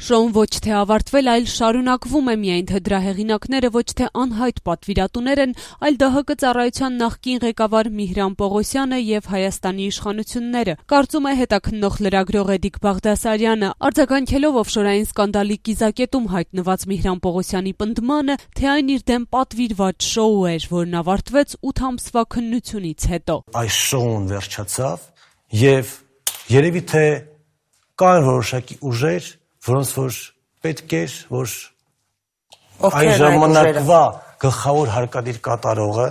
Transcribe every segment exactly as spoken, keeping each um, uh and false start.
Շոուն ոչ թե ավարտվել, այլ շարունակվում է, միայն թե դրա հեղինակները ոչ թե անհայտ պատվիրատուներ են, այլ Դահ Կը ծառայության նախկին ղեկավար Միհրան Պողոսյանը եւ Հայաստանի իշխանությունները, կարծում է հետաքննող լրագրող Էդիկ Բաղդասարյանը, արձագանքելով օֆշորային սկանդալի կիզակետում հայտնված Միհրան Պողոսյանի պնդմանը, թե այն իր դեմ պատվիրված շոու էր, որն ավարտվեց ութ ամսվա քննությունից հետո։ Այս շոուն վերջացավ եւ երևի թե կան որոշակի ուժեր, որոնց որ պետք էր, որ այն ժամանակվա գլխավոր հարկադիր կատարողը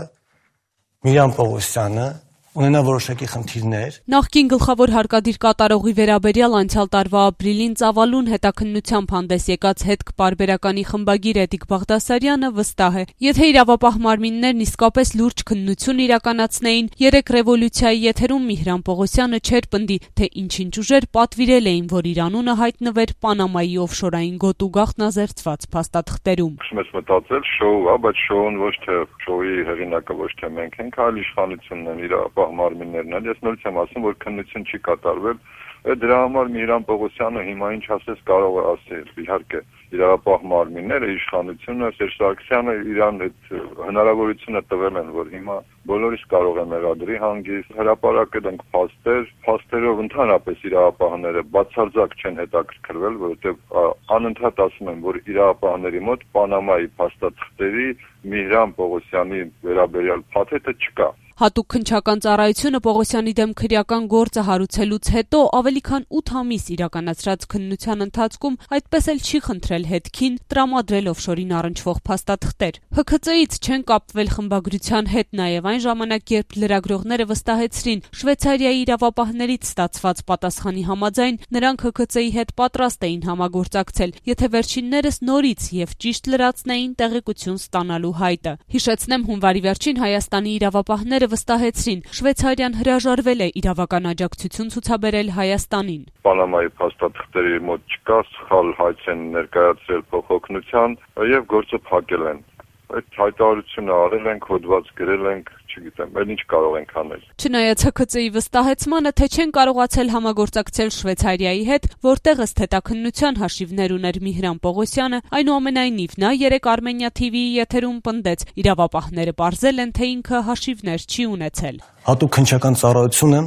Միհրան Պողոսյանը ունենա որոշակի խնդիրներ։ Նախկին գլխավոր հարկադիր կատարողի վերաբերյալ անցյալ տարվա ապրիլին ծավալուն հետաքննությամբ հանդես եկած հետք պարբերականի խմբագիր Էդիկ Բաղդասարյանը վստահ է, եթե իրավապահ մարմիններն իսկապես լուրջ քննություն իրականացնեին, երեք ռևոլյուցիայի եթերում Միհրան Պողոսյանը չէր պնդի, թե ինչ-ինչ ուժեր պատվիրել էին, որ իր անունը հայտնվեր Պանամայի օֆշորային գոտու գաղտնազերծված փաստաթղթերում։ Ես մտածել շոու, բայց շոուն ոչ թե շոուի հեղինակը ոչ թե մենք ենք, այլ իշխանությունն են իրավապահ մարմիններն են։ Ես նորից եմ ասում, որ քննություն չի կատարվել։ Դրա համար Միհրան Պողոսյանը հիմա ինչ ասես կարող է ասել։ Իհարկե, իրավապահ մարմինները, իշխանությունը, Սերժ Սարգսյանը իրան այդ հնարավորությունը տվել են, որ հիմա բոլորիս կարող է մեղադրի հանգիստ, հրապարակել ենք փաստեր, փաստերով ընդհանրապես իրավապահները բացարձակ չեն հետաքրքրվել, որովհետև անընդհատ ասում են, որ իրավապահների մոտ Պանամայի փաստաթղթերի Միհրան Պողոսյանի վերաբերյալ փաթեթը չկա։ Հատուկ քննչական ծառայությունը Պողոսյանի դեմ քրեական գործը հարուցելուց հետո ավելի քան ութ ամիս իրականացրած քննության ընթացքում այդպես էլ չի խնդրել հետքին տրամադրել օֆշորին առնչվող փաստաթղթեր։ Հ K C-ից չեն կապվել խմբագրության հետ նաև այն ժամանակ, երբ լրագրողները վստահեցրին Շվեյցարիայի իրավապահներից ստացված պատասխանի համաձայն նրանք Հ K C-ի հետ պատրաստ էին համագործակցել, եթե վերջիններս նորից եւ ճիշտ լրացնեին տեղեկություն ստանալու հայտը։ Հիշեցնեմ, հունվարի վերջին Հայաստանի իրավապահները վստահեցրին Շվեյցարիան հրաժարվել է իրավական աջակցություն ցուցաբերել Հայաստանին։ Պանամայի փաստաթղթերի մոտ չկա, սխալ հայց են ներկայացրել փոխօգնության եւ գործը փակել են։ Այդ հայտարարությունը արել ենք, հոդված գրել ենք, չգիտեմ, այլ ինչ կարող ենք անել։ Չնայած Հ K C-ի վստահեցմանը, թե չեն կարողացել համագործակցել Շվեյցարիայի հետ, որտեղ ըստ հետաքննության հաշիվներ ուներ Միհրան Պողոսյանը, այնուամենայնիվ նա երեք Armenia T V-ի եթերում պնդեց, իրավապահները պարզել են, թե ինքը հաշիվներ չի ունեցել։ Հատուկ քննչական ծառայությունը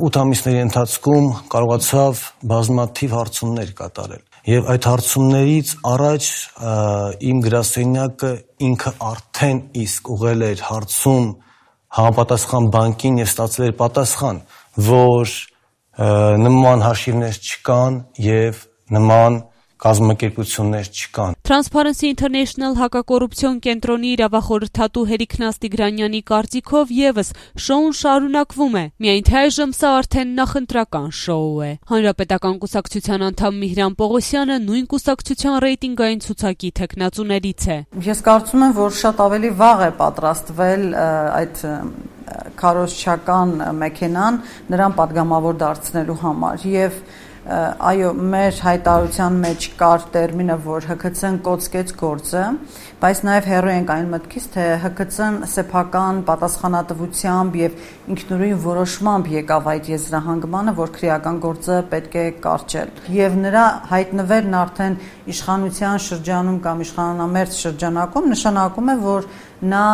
ութ ամիսների ընթացքում կարողացավ բազմաթիվ հարցումներ կատարել։ Եվ այդ հարցումներից առաջ իմ գրասենյակը ինքը արդեն իսկ ուղղել էր հարցում համապատասխան բանկին եւ ստացել էր պատասխան, որ նման հաշիվներ չկան եւ նման կազմակերպություններ չկան։ Transparency International հակակոռուպցիոն կենտրոնի իրավախորհրդատու Հերիկ Նաստիգրանյանի կարծիքով եւս շոուն շարունակվում է, միայն թե այժմ սա արդեն նախընտրական շոու է։ Հանրապետական կուսակցության անդամ Միհրան Պողոսյանը նույն կուսակցության ռեյտինգային ցուցակի թեկնածուներից է։ Ես կարծում եմ, որ շատ ավելի վաղ է պատրաստվել այդ քարոզչական մեքենան նրան պատգամավոր դարձնելու համար եւ այո, մեր հայտարարության մեջ կար տերմինը, որ Հ K C-ն կոծկեց գործը, բայց նաև հեռու ենք այն մտքից, թե Հ K C-ն սեփական պատասխանատվությամբ եւ ինքնուրույն որոշմամբ եկավ այդ եզրահանգմանը, որ քրեական գործը պետք է կարճել։ Եվ նրա հայտնվելն արդեն իշխանության շրջանում կամ իշխանամերձ շրջանակում նշանակում է, որ նա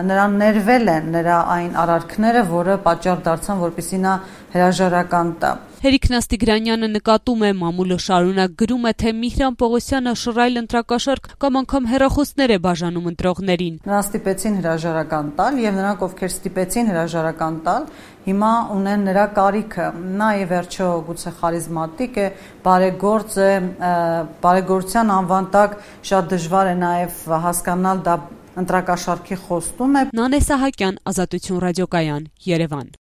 նրան ներվել են նրա այն արարքները, որը պատճառ դարձան, որպեսզի նա հրաժարական տա։ Հերիկ Նաստիգրանյանը նկատում է, մամուլը շարունակ գրում է, թե Միհրան Պողոսյանը շռայլ ընտրակաշարք կամ անգամ հեռախոսներ է բաժանում ընտրողներին։ Նրան ստիպեցին հրաժարական տալ եւ նրանք, ովքեր ստիպեցին հրաժարական տալ, հիմա ունեն նրա կարիքը։ Նա ի վերջո գուցե խարիզմատիկ է, բարեգործ է, բարեգործության անվան տակ շատ դժվար է նաեւ հասկանալ դա ընտրակաշարքի խոստում է։ Նանե Սահակյան, Ազատություն ռադիոկայան, Երևան։